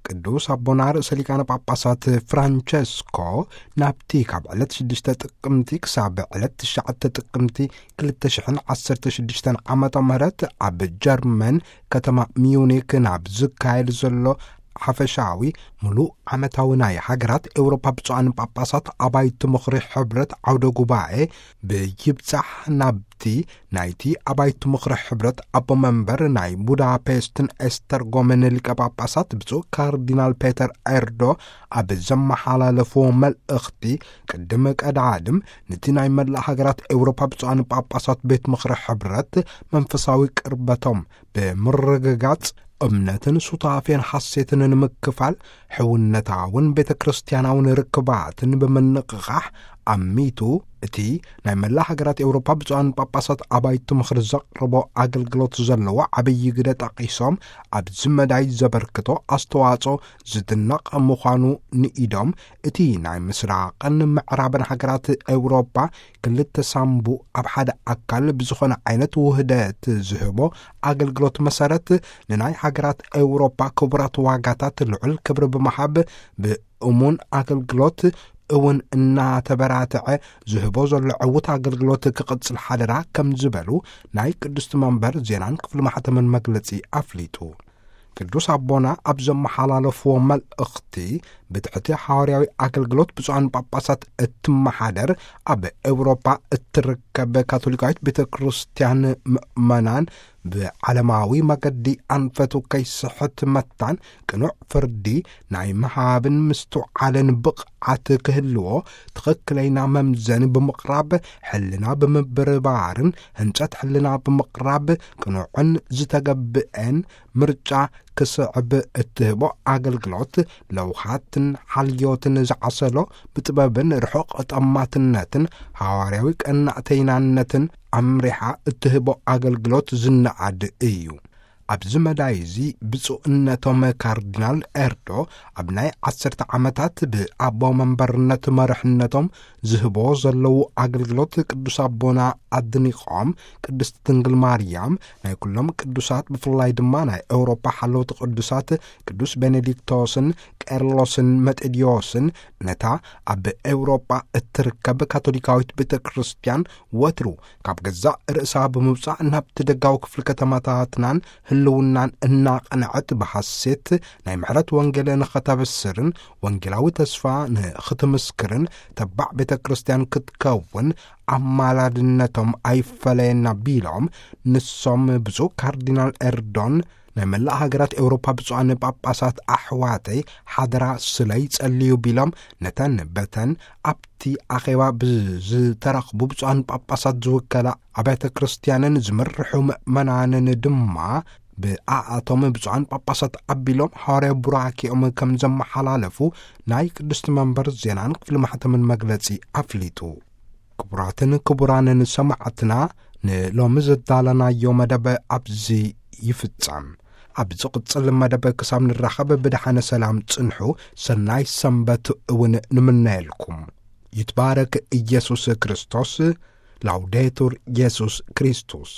ቅዱስ ኣቦና ርእሰ ሊቃነ ጳጳሳት ፍራንቸስኮ ናብቲ ካብ ዕለት ሽዱሽተ ጥቅምቲ ክሳብ ዕለት ትሽዓተ ጥቅምቲ ክልተ ሽሕን ዓሰርተ ሽዱሽተን ዓመተ ምህረት ኣብ ጀርመን ከተማ ሚዩኒክ ናብ ዝካየድ ዘሎ ሓፈሻዊ ምሉእ ዓመታዊ ናይ ሃገራት ኤውሮፓ ብፁዓን ጳጳሳት ኣባይቲ ምኽሪ ሕብረት ዓውደ ጉባኤ ብይብጻሕ ናብቲ ናይቲ ኣባይቲ ምኽሪ ሕብረት ኣቦ መንበር ናይ ቡዳፔስትን ኤስተርጎምን ሊቀ ጳጳሳት ብፁዕ ካርዲናል ፔተር ኤርዶ ኣብ ዘመሓላለፍዎ መልእኽቲ፣ ቅድም ቀዳድም ነቲ ናይ መላእ ሃገራት ኤውሮፓ ብፁዓን ጳጳሳት ቤት ምኽሪ ሕብረት መንፈሳዊ ቅርበቶም ብምርግጋጽ፣ እምነትን ሱታፌን ሓሴትን ንምክፋል፣ ሕውነታውን ቤተ ክርስቲያናውን ርክባትን ብምንቕቓሕ፣ ኣሚቱ እቲ ናይ መላእ ሃገራት ኤውሮፓ ብፁዓን ጳጳሳት ኣባይቲ ምኽሪ ዘቕርቦ ኣገልግሎት ዘለዎ ዓብዪ ግደ ጠቒሶም፣ ኣብዚ መዳይ ዘበርክቶ ኣስተዋጽኦ ዝድነቕ ምዃኑ ንኢዶም፣ እቲ ናይ ምስራቕን ምዕራብን ሃገራት ኤውሮፓ ክልተ ሳምቡ ኣብ ሓደ ኣካል ብዝኾነ ዓይነት ውህደት ዝህቦ ኣገልግሎት መሰረት፣ ንናይ ሃገራት ኤውሮፓ ክቡራት ዋጋታት ልዑል ክብሪ ብምሃብ፣ ብእሙን ኣገልግሎት እውን እናተበራትዐ ዝህቦ ዘሎ ዕዉት ኣገልግሎት ክቕጽል ሓደራ ከም ዝበሉ ናይ ቅድስቲ መንበር ዜናን ክፍሊ ማሕተምን መግለጺ ኣፍሊጡ። ቅዱስ ኣቦና ኣብ ዘመሓላለፍዎ መልእኽቲ፣ ብትሕቲ ሓዋርያዊ ኣገልግሎት ብፁዓን ጳጳሳት እትመሓደር ኣብ ኤውሮፓ እትርከብ ካቶሊካዊት ቤተ ክርስቲያን ምእመናን ብዓለማዊ መገዲ ኣንፈቱ ከይስሕት መታን ቅኑዕ ፍርዲ ናይ ምሃብን ምስትውዓልን ብቕዓት ክህልዎ፣ ትኽክለይና መምዘኒ ብምቕራብ፣ ሕልና ብምብርባርን ህንጸት ሕልና ብምቕራብ፣ ቅኑዕን ዝተገብአን ምርጫ ክስዕብ እትህቦ ኣገልግሎት፣ ለውሃትን ሓልዮትን ዝዓሰሎ፣ ብጥበብን ርሑቕ ጠማትነትን ሃዋርያዊ ቀናእተይናነትን ኣምሪሓ እትህቦ ኣገልግሎት ዝነኣድ እዩ። ኣብዚ መዳይ እዚ ብፁዕነቶም ካርዲናል ኤርዶ ኣብ ናይ ዓሰርተ ዓመታት ብኣቦ መንበርነት መርሕነቶም ዝህቦ ዘለዉ ኣገልግሎት ቅዱስ ኣቦና ኣድኒቖም፣ ቅድስቲ ድንግል ማርያም ናይ ኩሎም ቅዱሳት፣ ብፍላይ ድማ ናይ ኤውሮፓ ሓለውቲ ቅዱሳት ቅዱስ ቤኔዲክቶስን ቄርሎስን መጤድዮስን፣ ነታ ኣብ ኤውሮጳ እትርከብ ካቶሊካዊት ቤተ ክርስቲያን ወትሩ ካብ ገዛእ ርእሳ ብምውጻእ ናብቲ ደጋዊ ክፍሊ ከተማታትናን ህልውናን እናቐንዐት ብሓሴት ናይ ምሕረት ወንጌል ንኸተበስርን ወንጌላዊ ተስፋ ንኽትምስክርን ተባዕ ቤተ ክርስቲያን ክትከውን ኣማላድነቶም ኣይፈለየና ቢሎም፣ ንሶም ብፁዕ ካርዲናል ኤርዶን ናይ መላእ ሃገራት ኤውሮፓ ብፁዓን ጳጳሳት ኣሕዋተይ ሓደራ ስለይ ጸልዩ ቢሎም፣ ነተን በተን ኣብቲ ኣኼባ ብዝተረኽቡ ብፁዓን ጳጳሳት ዝውከላ ኣብያተ ክርስቲያንን ዝምርሑ ምእመናንን ድማ ብኣኣቶም ብፁዓን ጳጳሳት ኣቢሎም ሃዋርያዊ ቡራኬኦም ከም ዘመሓላለፉ ናይ ቅድስቲ መንበር ዜናን ክፍሊ ማሕተምን መግለጺ ኣፍሊጡ። ክቡራትን ክቡራንን ሰማዕትና፣ ንሎሚ ዘዳለናዮ መደብ ኣብዚ ይፍጸም። ኣብ ዝቕጽል መደብ ክሳብ ንራኸብ ብደሓነ ሰላም ጽንሑ፣ ሰናይ ሰንበት እውን ንምነየልኩም። ይትባረክ ኢየሱስ ክርስቶስ። ላውዴቱር ኢየሱስ ክርስቶስ።